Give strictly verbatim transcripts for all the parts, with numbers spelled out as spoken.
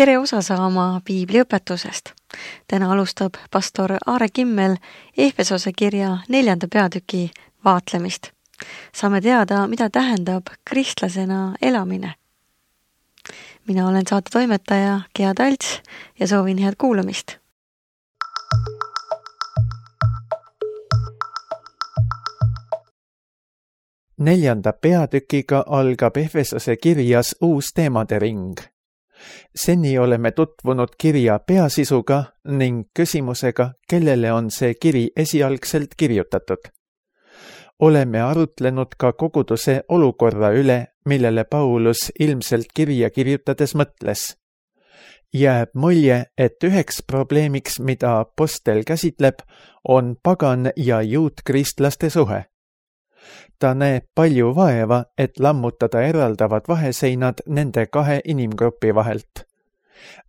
tere osa saama piibliõpetusest. Täna alustab pastor Aare Kimmel Efesose kirja neljanda peatüki vaatlemist. Saame teada, mida tähendab kristlasena elamine. Mina olen saate toimetaja Gea Talts ja soovin head kuulamist. Neljanda peatükiga algab Efesose kirjas uus teemade ring. Seni oleme tutvunud kirja peasisuga ning küsimusega, kellele on see kiri esialgselt kirjutatud. Oleme arutlenud ka koguduse olukorra üle, millele Paulus ilmselt kirja kirjutades mõtles. Jääb mulje, et üheks probleemiks, mida apostel käsitleb, on pagan ja juutkristlaste suhe. Ta näeb palju vaeva, et lammutada eraldavad vaheseinad nende kahe inimgrupi vahelt.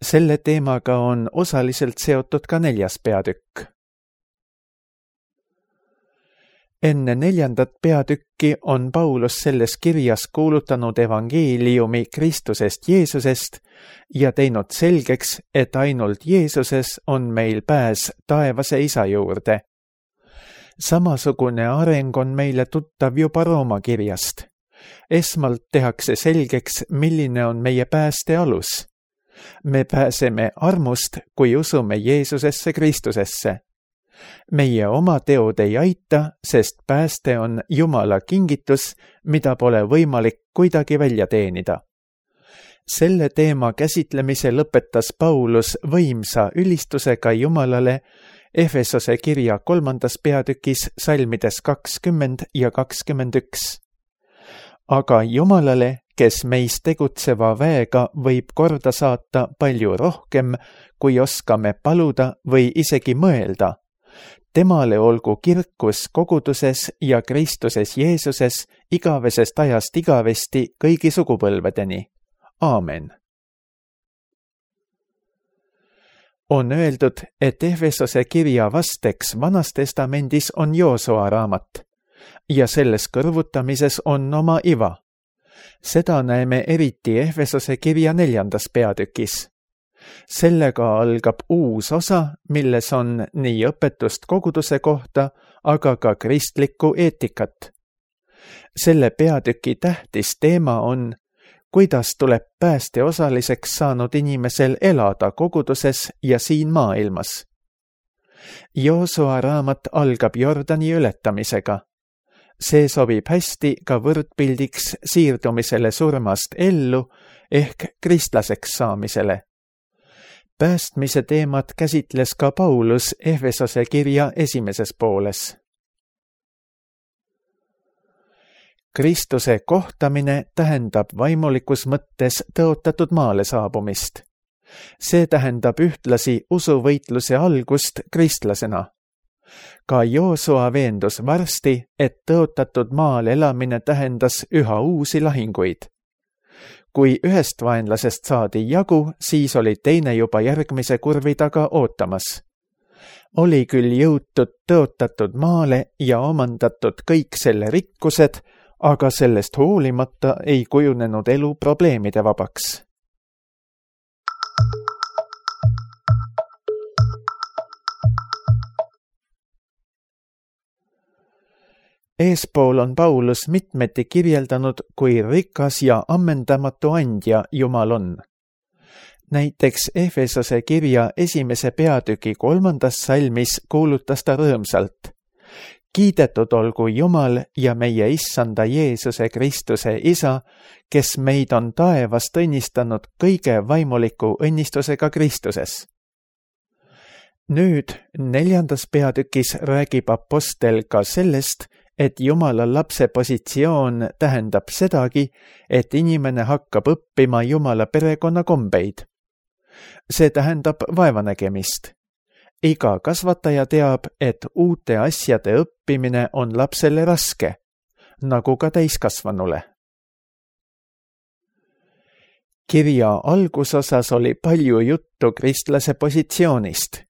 Selle teemaga on osaliselt seotud ka neljas peatükk. Enne neljandat peatükki on Paulus selles kirjas kuulutanud evangeeliumi Kristusest Jeesusest ja teinud selgeks, et ainult Jeesuses on meil pääs taevase Isa juurde. Samasugune areng on meile tuttav juba Rooma kirjast. Esmalt tehakse selgeks, milline on meie pääste alus. Me pääseme armust, kui usume Jeesusesse Kristusesse. Meie oma teod ei aita, sest pääste on Jumala kingitus, mida pole võimalik kuidagi välja teenida. Selle teema käsitlemise lõpetas Paulus võimsa ülistusega Jumalale Efesose kirja kolmandas peatükis salmides kakskümmend ja kakskümmend üks. Aga Jumalale, kes meis tegutseva väega võib korda saata palju rohkem, kui oskame paluda või isegi mõelda. Temale olgu kirkus koguduses ja Kristuses Jeesuses igavesest ajast igavesti kõigi sugupõlvedeni. Aamen. On öeldud, et Efesose kirja vasteks Vanas testamendis on Joosua raamat ja selles kõrvutamises on oma iva. Seda näeme eriti Efesose kirja neljandas peatükis. Sellega algab uus osa, milles on nii õpetust koguduse kohta, aga ka kristlikku eetikat. Selle peatüki tähtis teema on, kuidas tuleb pääste osaliseks saanud inimesel elada koguduses ja siin maailmas. Joosua raamat algab Jordani ületamisega. See sobib hästi ka võrdpildiks siirdumisele surmast ellu ehk kristlaseks saamisele. Päästmise teemat käsitles ka Paulus Efesose kirja esimeses pooles. Kristuse kohtamine tähendab vaimulikus mõttes tõotatud maale saabumist. See tähendab ühtlasi usuvõitluse algust kristlasena. Ka Joosua veendus varsti, et tõotatud maal elamine tähendas üha uusi lahinguid. Kui ühest vaenlasest saadi jagu, siis oli teine juba järgmise kurvi taga ootamas. Oli küll jõutud tõotatud maale ja omandatud kõik selle rikkused, aga sellest hoolimata ei kujunenud elu probleemide vabaks. Eespool on Paulus mitmeti kirjeldanud, kui rikas ja ammendamatu andja Jumal on. Näiteks Efesose kirja esimese peatüki kolmandas salmis kuulutas ta rõõmsalt. Kiidetud olgu Jumal ja meie issanda Jeesuse Kristuse Isa, kes meid on taevast õnnistanud kõige vaimuliku õnnistusega Kristuses. Nüüd neljandas peatükis räägib apostel ka sellest, et Jumala lapse positsioon tähendab sedagi, et inimene hakkab õppima Jumala perekonna kombeid. See tähendab vaevanägemist. Iga kasvataja teab, et uute asjade õppimine on lapsele raske, nagu ka täiskasvanule. Kirja algusosas oli palju juttu kristlase positsioonist.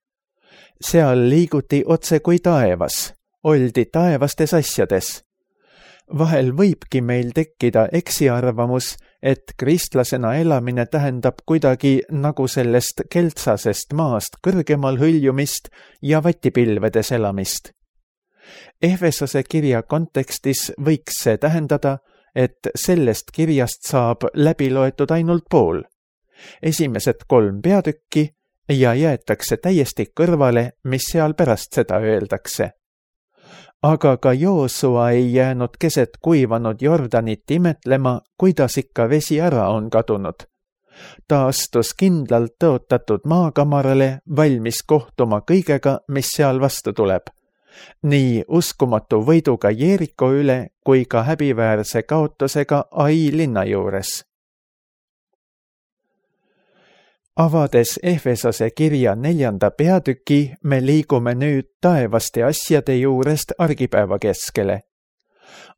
Seal liiguti otse kui taevas, oldi taevastes asjades. Vahel võibki meil tekkida eksiarvamus, et kristlasena elamine tähendab kuidagi nagu sellest keltsasest maast kõrgemal hõljumist ja vatipilvedes elamist. Efesose kirja kontekstis võiks see tähendada, et sellest kirjast saab läbi loetud ainult pool, esimesed kolm peatükki ja jäetakse täiesti kõrvale, mis seal pärast seda öeldakse. Aga ka Joosua ei jäänud keset kuivanud Jordanit imetlema, kuidas ikka vesi ära on kadunud. Ta astus kindlalt tõotatud maakamarale, valmis kohtuma kõigega, mis seal vastu tuleb. Nii uskumatu võiduga Jeeriko üle kui ka häbiväärse kaotusega Ai linna juures. Avades Efesose kirja neljanda peatüki, me liigume nüüd taevaste asjade juurest argipäeva keskele.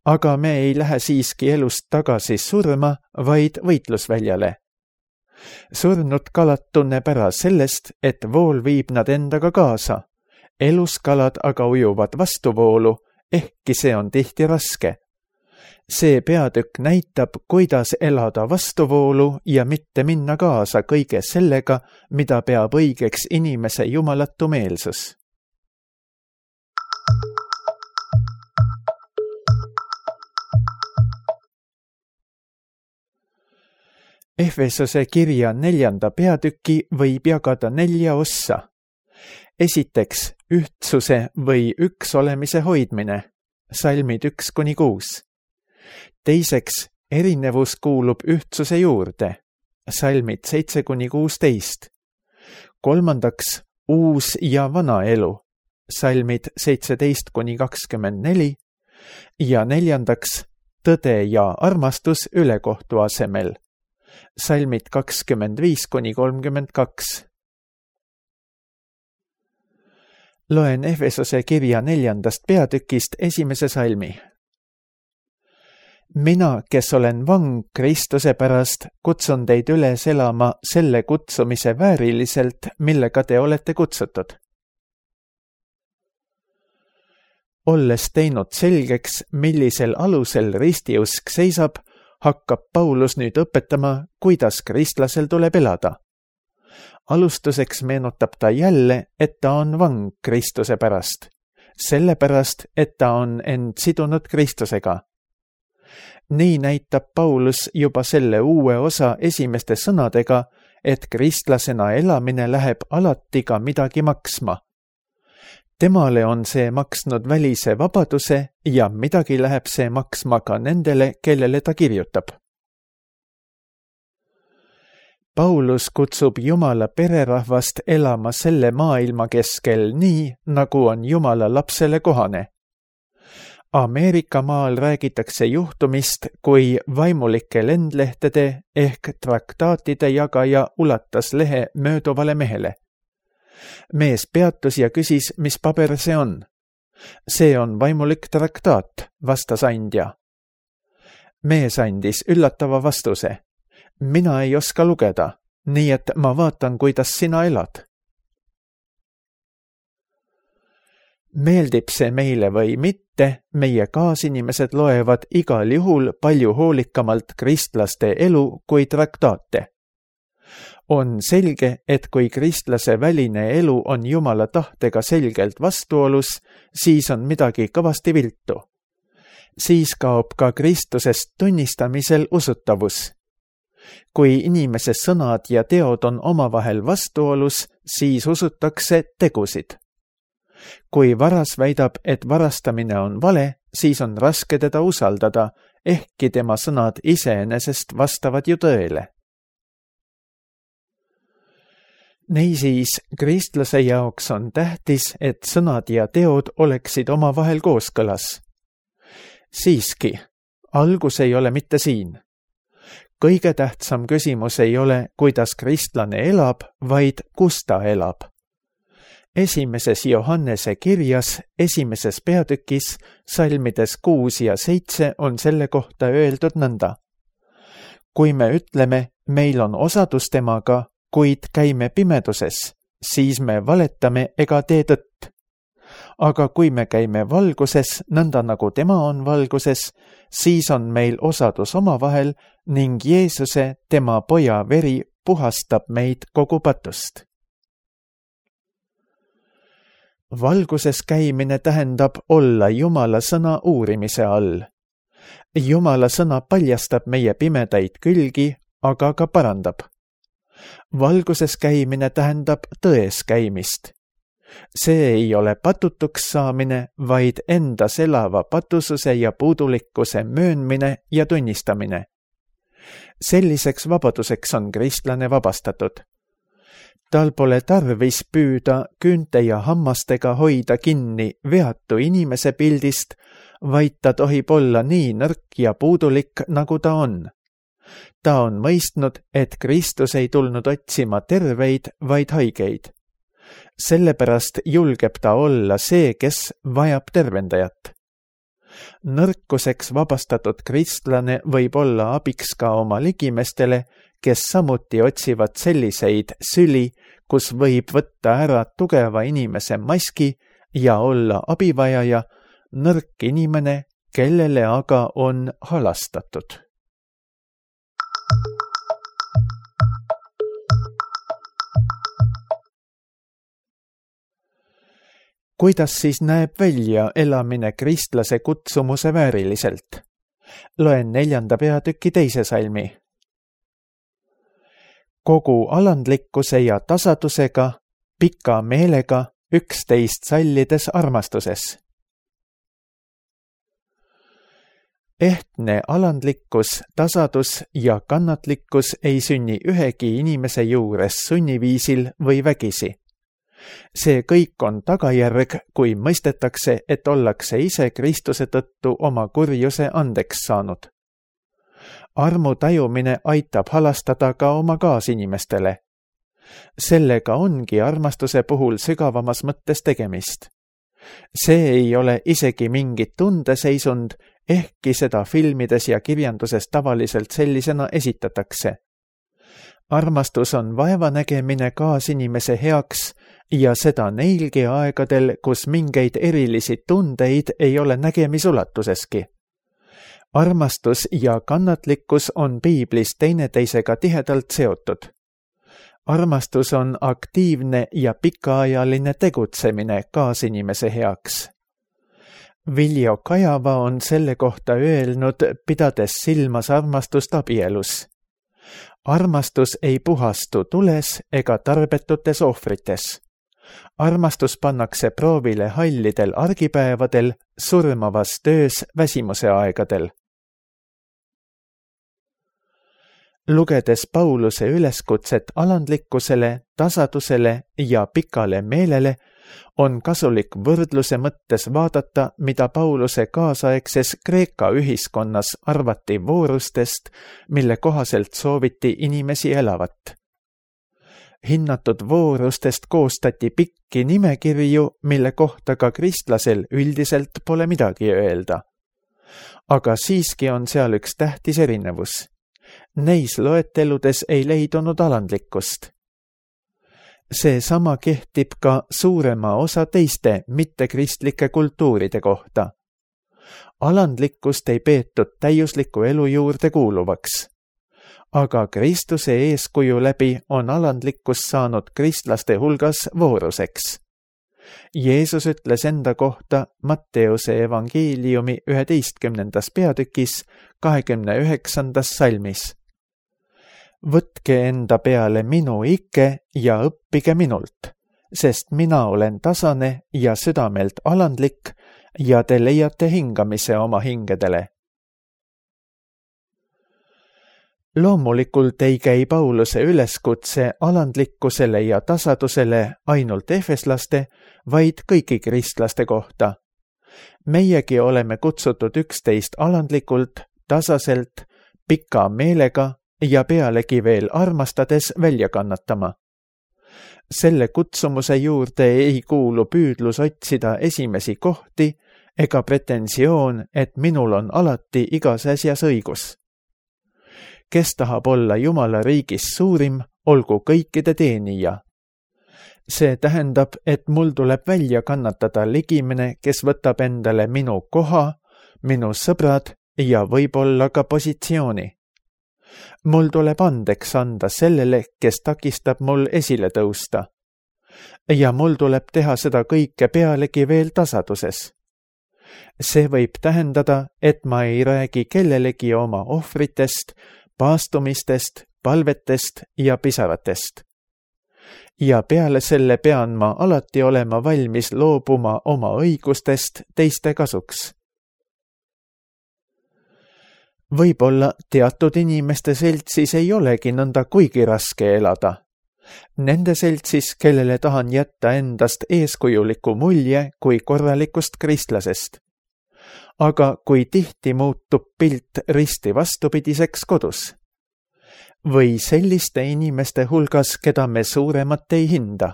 Aga me ei lähe siiski elust tagasi surma, vaid võitlusväljale. Surnud kalad tunneb ära sellest, et vool viib nad endaga kaasa. Eluskalad aga ujuvad vastuvoolu, ehkki see on tihti raske. See peatükk näitab, kuidas elada vastuvoolu ja mitte minna kaasa kõige sellega, mida peab õigeks inimese jumalatu meelsus. Efesose kirja neljanda peatüki võib jagada nelja ossa. Esiteks, ühtsuse või üks olemise hoidmine, salmid üks kuni kuus. Teiseks, erinevus kuulub ühtsuse juurde, salmid seitse kuni kuusteist. Kolmandaks, uus ja vana elu, salmid seitseteist kuni kakskümmend neli. Ja neljandaks, tõde ja armastus ülekohtu asemel, salmid kakskümmend viis kuni kolmkümmend kaks. Loen Efesose kirja neljandast peatükist esimese salmi. Mina, kes olen vang Kristuse pärast, kutsun teid üles elama selle kutsumise vääriliselt, millega te olete kutsutud. Olles teinud selgeks, millisel alusel ristiusk seisab, hakkab Paulus nüüd õpetama, kuidas kristlasel tuleb elada. Alustuseks meenutab ta jälle, et ta on vang Kristuse pärast, sellepärast, et ta on end sidunud Kristusega. Nii näitab Paulus juba selle uue osa esimeste sõnadega, et kristlasena elamine läheb alati ka midagi maksma. Temale on see maksnud välise vabaduse ja midagi läheb see maksma ka nendele, kellele ta kirjutab. Paulus kutsub Jumala pererahvast elama selle maailma keskel nii, nagu on Jumala lapsele kohane. Ameerika maal räägitakse juhtumist, kui vaimulike lendlehtede ehk traktaatide jagaja ulatas lehe mööduvale mehele. Mees peatus ja küsis, mis paber see on. See on vaimulik traktaat, vastas andja. Mees andis üllatava vastuse. Mina ei oska lugeda, nii et ma vaatan, kuidas sina elad. Meeldib see meile või mitte, meie kaasinimesed loevad igal juhul palju hoolikamalt kristlaste elu kui traktaate. On selge, et kui kristlase väline elu on Jumala tahtega selgelt vastuolus, siis on midagi kõvasti viltu. Siis kaob ka Kristusest tunnistamisel usutavus. Kui inimese sõnad ja teod on omavahel vastuolus, siis usutakse tegusid. Kui varas väidab, et varastamine on vale, siis on raske teda usaldada, ehkki tema sõnad iseenesest vastavad ju tõele. Niisiis, kristlase jaoks on tähtis, et sõnad ja teod oleksid omavahel kooskõlas. Siiski, algus ei ole mitte siin. Kõige tähtsam küsimus ei ole, kuidas kristlane elab, vaid kus ta elab. Esimeses Johannese kirjas, esimeses peatükis, salmides kuus ja seitse on selle kohta öeldud nõnda. Kui me ütleme, meil on osadus temaga, kuid käime pimeduses, siis me valetame ega tee tõtt. aga kui me käime valguses, nõnda nagu tema on valguses, siis on meil osadus omavahel ning Jeesuse, tema poja veri, puhastab meid kogu patust. Valguses käimine tähendab olla Jumala sõna uurimise all. Jumala sõna paljastab meie pimedaid külgi, aga ka parandab. Valguses käimine tähendab tões käimist. See ei ole patutuks saamine, vaid endas elava patususe ja puudulikkuse möönmine ja tunnistamine. Selliseks vabaduseks on kristlane vabastatud. Tal pole tarvis püüda küünte ja hammastega hoida kinni veatu inimese pildist, vaid ta tohib olla nii nõrk ja puudulik, nagu ta on. Ta on mõistnud, et Kristus ei tulnud otsima terveid, vaid haigeid. Sellepärast julgeb ta olla see, kes vajab tervendajat. Nõrkuseks vabastatud kristlane võib olla abiks ka oma ligimestele, kes samuti otsivad selliseid süli, kus võib võtta ära tugeva inimese maski ja olla abivajaja, nõrk inimene, kellele aga on halastatud. Kuidas siis näeb välja elamine kristlase kutsumuse vääriliselt? Loen neljanda peatüki teise salmi. Kogu alandlikkuse ja tasadusega, pika meelega, üksteist sallides armastuses. Ehtne alandlikkus, tasadus ja kannatlikkus ei sünni ühegi inimese juures sunniviisil või vägisi. See kõik on tagajärg, kui mõistetakse, et ollakse ise Kristuse tõttu oma kurjuse andeks saanud. Armu tajumine aitab halastada ka oma kaasinimestele. Sellega ongi armastuse puhul sügavamas mõttes tegemist. See ei ole isegi mingi tundeseisund, ehkki seda filmides ja kirjanduses tavaliselt sellisena esitatakse. Armastus on vaevanägemine kaasinimese heaks ja seda neilgi aegadel, kus mingeid erilisi tundeid ei ole nägemisulatuseski. Armastus ja kannatlikkus on piiblis teineteisega tihedalt seotud. Armastus on aktiivne ja pikaajaline tegutsemine kaasinimese heaks. Viljo Kajava on selle kohta öelnud, pidades silmas armastust abielus. Armastus ei puhastu tules ega tarbetutes ohvrites. Armastus pannakse proovile hallidel argipäevadel, surmavas töös väsimuse aegadel. Lugedes Pauluse üleskutset alandlikkusele, tasadusele ja pikale meelele, on kasulik võrdluse mõttes vaadata, mida Pauluse kaasaegses Kreeka ühiskonnas arvati voorustest, mille kohaselt sooviti inimesi elavat. Hinnatud voorustest koostati pikki nimekirju, mille kohta ka kristlasel üldiselt pole midagi öelda. Aga siiski on seal üks tähtis erinevus. Neis loeteludes ei leidunud alandlikkust. See sama kehtib ka suurema osa teiste mittekristlike kultuuride kohta. Alandlikkust ei peetud täiusliku elu juurde kuuluvaks. Aga Kristuse eeskuju läbi on alandlikkus saanud kristlaste hulgas vooruseks. Jeesus ütles enda kohta Matteuse evangeeliumi üheteistkümnendas peatükis kahekümne üheksandas salmis. Võtke enda peale minu ikke ja õppige minult, sest mina olen tasane ja südamelt alandlik ja te leiate hingamise oma hingedele. Loomulikult ei käi Pauluse üleskutse alandlikkusele ja tasadusele ainult efeslaste, vaid kõigi kristlaste kohta. Meiegi oleme kutsutud üksteist alandlikult, tasaselt, pika meelega ja pealegi veel armastades välja kannatama. Selle kutsumuse juurde ei kuulu püüdlus otsida esimesi kohti ega pretensioon, et minul on alati igas asjas õigus. Kes tahab olla Jumala riigis suurim, olgu kõikide teenija. see tähendab, et mul tuleb välja kannatada ligimene, kes võtab endale minu koha, minu sõbrad ja võib-olla ka positsiooni. Mul tuleb andeks anda sellele, kes takistab mul esile tõusta. Ja mul tuleb teha seda kõike pealegi veel tasaduses. See võib tähendada, et ma ei räägi kellelegi oma ohvritest, paastumistest, palvetest ja pisaratest. Ja peale selle pean ma alati olema valmis loobuma oma õigustest teiste kasuks. Võib-olla teatud inimeste seltsis ei olegi nõnda kuigi raske elada. Nende seltsis, kellele tahan jätta endast eeskujuliku mulje kui korralikust kristlasest. Aga kui tihti muutub pilt risti vastupidiseks kodus? Või selliste inimeste hulgas, keda me suuremat ei hinda?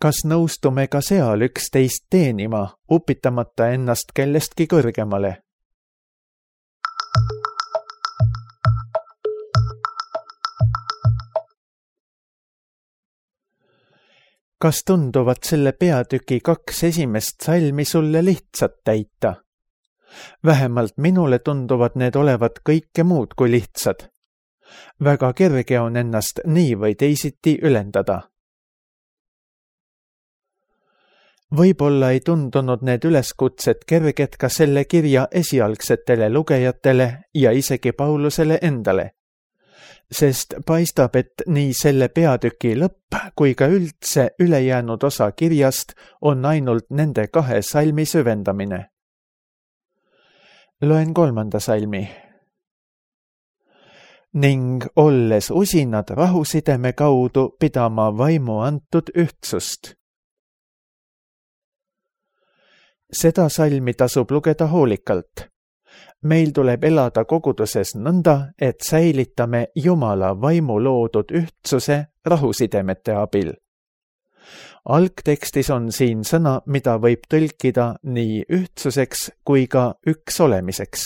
Kas nõustume ka seal üksteist teenima, upitamata ennast kellestki kõrgemale? Kas tunduvad selle peatüki kaks esimest salmi sulle lihtsalt täita? Vähemalt minule tunduvad need olevat kõike muud kui lihtsad. Väga kerge on ennast nii või teisiti ülendada. Võib-olla ei tundunud need üleskutsed kerged ka selle kirja esialgsetele lugejatele ja isegi Paulusele endale. Sest paistab, et nii selle peatüki lõpp kui ka üldse ülejäänud osa kirjast on ainult nende kahe salmi süvendamine. Loen kolmanda salmi. Ning olles usinad rahusideme kaudu pidama vaimu antud ühtsust. Seda salmi tasub lugeda hoolikalt. Meil tuleb elada koguduses nõnda, et säilitame Jumala vaimu loodud ühtsuse rahusidemete abil. Algtekstis on siin sõna, mida võib tõlkida nii ühtsuseks kui ka üks olemiseks.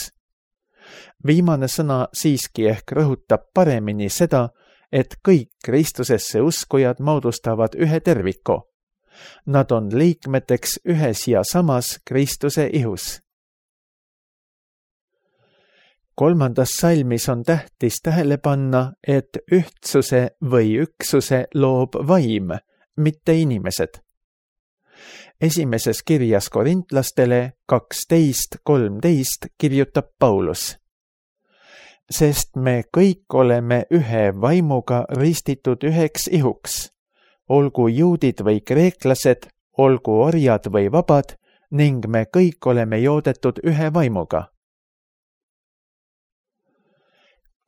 Viimane sõna siiski ehk rõhutab paremini seda, et kõik Kristusesse uskujad moodustavad ühe terviku. Nad on liikmeteks ühes ja samas Kristuse ihus. Kolmandas salmis on tähtis tähele panna, et ühtsuse või üksuse loob vaim, mitte inimesed. Esimeses kirjas korintlastele kaksteist kolmteist kirjutab Paulus. Sest me kõik oleme ühe vaimuga ristitud üheks ihuks, olgu juudid või kreeklased, olgu orjad või vabad, ning me kõik oleme joodetud ühe vaimuga.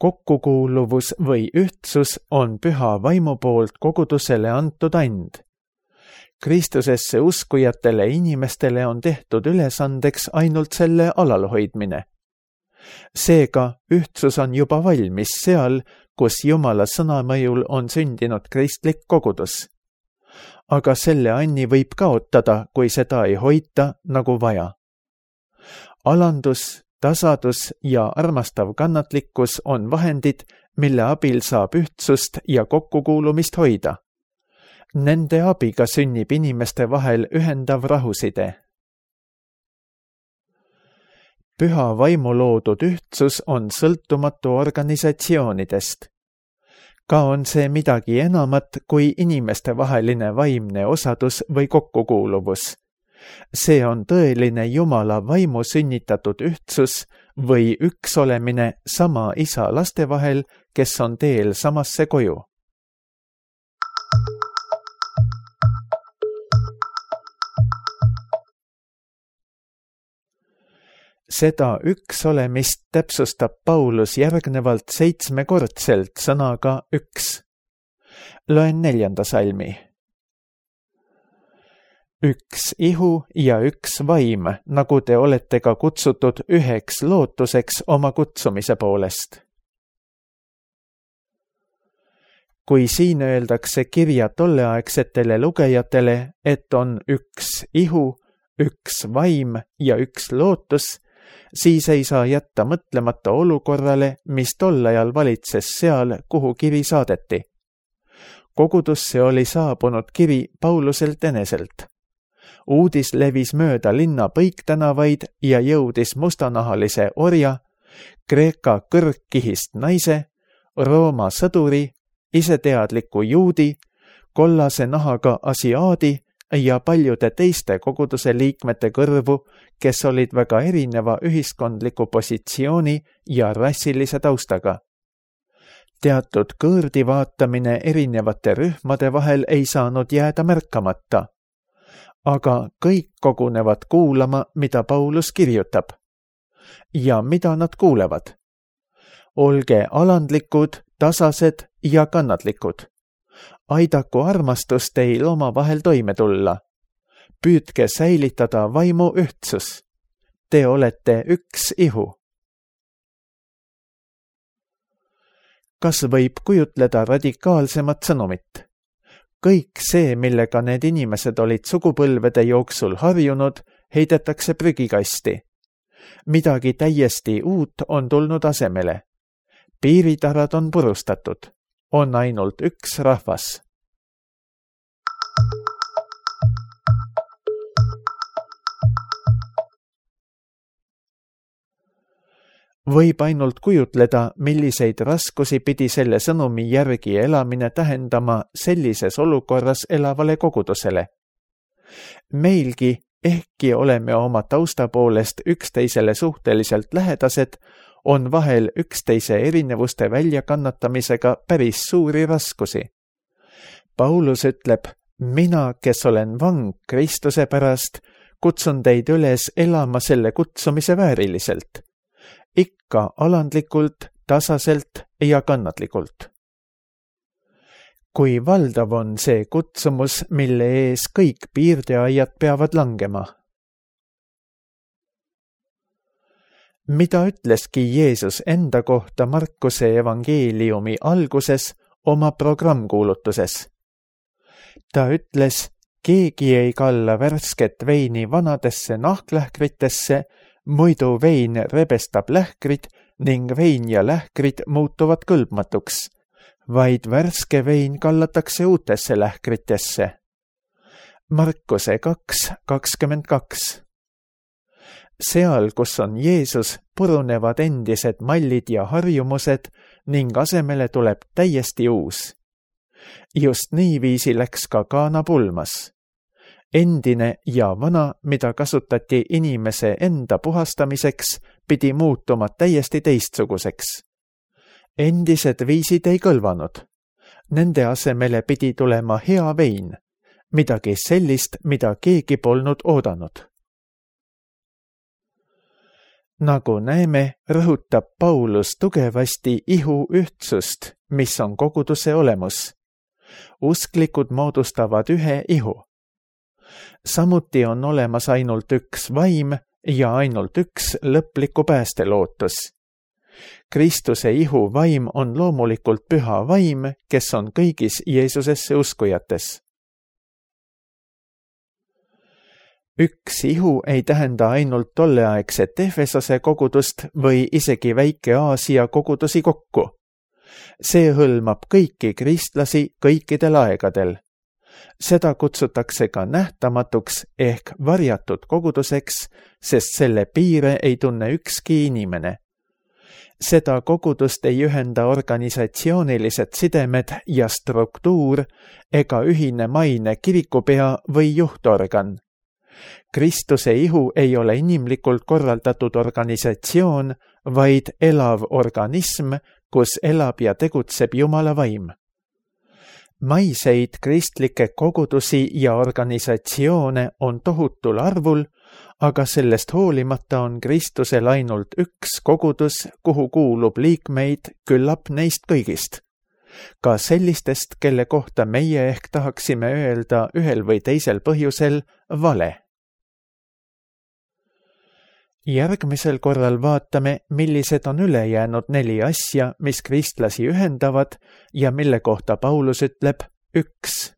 Kokkukuuluvus või ühtsus on püha vaimu poolt kogudusele antud and. Kristusesse uskujatele inimestele on tehtud ülesandeks ainult selle alalhoidmine. Seega ühtsus on juba valmis seal, kus Jumala sõnamõjul on sündinud kristlik kogudus. Aga selle anni võib kaotada, kui seda ei hoita nagu vaja. Alandus, tasadus ja armastav kannatlikkus on vahendid, mille abil saab ühtsust ja kokkukuulumist hoida. Nende abiga sünnib inimeste vahel ühendav rahuside. Püha vaimu loodud ühtsus on sõltumatu organisatsioonidest. Ka on see midagi enamat kui inimeste vaheline vaimne osadus või kokkukuuluvus. See on tõeline Jumala vaimu sünnitatud ühtsus või üks olemine sama isa laste vahel, kes on teel samasse koju. Seda üks olemist täpsustab Paulus järgnevalt seitsmekordselt sõnaga üks. Loen neljanda salmi. Üks ihu ja üks vaim, nagu te olete ka kutsutud üheks lootuseks oma kutsumise poolest. Kui siin öeldakse kirja tolleaegsetele lugejatele, et on üks ihu, üks vaim ja üks lootus, siis ei saa jätta mõtlemata olukorrale, mis tol ajal valitses seal, kuhu kiri saadeti. kogudusse oli saabunud kiri Pauluselt eneselt. Uudis levis mööda linna põiktänavaid ja jõudis mustanahalise orja, Kreeka kõrgkihist naise, Rooma sõduri, iseteadliku juudi, kollase nahaga asiaadi ja paljude teiste koguduse liikmete kõrvu, kes olid väga erineva ühiskondliku positsiooni ja rassilise taustaga. Teatud kõõrdi vaatamine erinevate rühmade vahel ei saanud jääda märkamata, aga kõik kogunevad kuulama, mida Paulus kirjutab. Ja mida nad kuulevad? Olge alandlikud, tasased ja kannatlikud. Aidaku armastus teil omavahel toime tulla. Püüdke säilitada vaimu ühtsus. Te olete üks ihu. Kas võib kujutleda radikaalsemat sõnumit? Kõik see, millega need inimesed olid sugupõlvede jooksul harjunud, heidetakse prügikasti. Midagi täiesti uut on tulnud asemele. Piiritarad on purustatud. On ainult üks rahvas. Võib ainult kujutleda, milliseid raskusi pidi selle sõnumi järgi elamine tähendama sellises olukorras elavale kogudusele. Meilgi, ehkki oleme oma tausta poolest üksteisele suhteliselt lähedased, on vahel üksteise erinevuste väljakannatamisega päris suuri raskusi. Paulus ütleb, mina, kes olen vang Kristuse pärast, kutsun teid üles elama selle kutsumise vääriliselt. Ikka alandlikult, tasaselt ja kannatlikult. Kui valdav on see kutsumus, mille ees kõik piirdeaiad peavad langema. Mida ütleski Jeesus enda kohta Markuse evangeeliumi alguses oma programmkuulutuses? Ta ütles, keegi ei kalla värsket veini vanadesse nahklähkritesse, muidu vein rebestab lähkrid ning vein ja lähkrid muutuvad kõlbmatuks, vaid värske vein kallatakse uutesse lähkritesse. Markuse kaks kakskümmend kaks. Seal, kus on Jeesus, purunevad endised mallid ja harjumused ning asemele tuleb täiesti uus. Just niiviisi läks ka Kaana pulmas. Endine ja vana, mida kasutati inimese enda puhastamiseks, pidi muutuma täiesti teistsuguseks. Endised viisid ei kõlvanud. Nende asemele pidi tulema hea vein, midagi sellist, mida keegi polnud oodanud. Nagu näeme, rõhutab Paulus tugevasti ihu ühtsust, mis on koguduse olemus. Usklikud moodustavad ühe ihu. Samuti on olemas ainult üks vaim ja ainult üks lõpliku päästelootus. Kristuse ihu vaim on loomulikult püha vaim, kes on kõigis Jeesusesse uskujates. Üks ihu ei tähenda ainult tolleaegset Efesose kogudust või isegi väike Aasia kogudusi kokku. See hõlmab kõiki kristlasi kõikidel aegadel. Seda kutsutakse ka nähtamatuks ehk varjatud koguduseks, sest selle piire ei tunne ükski inimene. Seda kogudust ei ühenda organisatsioonilised sidemed ja struktuur ega ühine maine kirikupea või juhtorgan. Kristuse ihu ei ole inimlikult korraldatud organisatsioon, vaid elav organism, kus elab ja tegutseb Jumala vaim. Maiseid kristlikke kogudusi ja organisatsioone on tohutul arvul, aga sellest hoolimata on Kristusel ainult üks kogudus, kuhu kuulub liikmeid küllap neist kõigist. Ka sellistest, kelle kohta meie ehk tahaksime öelda ühel või teisel põhjusel vale. Järgmisel korral vaatame, millised on ülejäänud neli asja, mis kristlasi ühendavad ja mille kohta Paulus ütleb üks.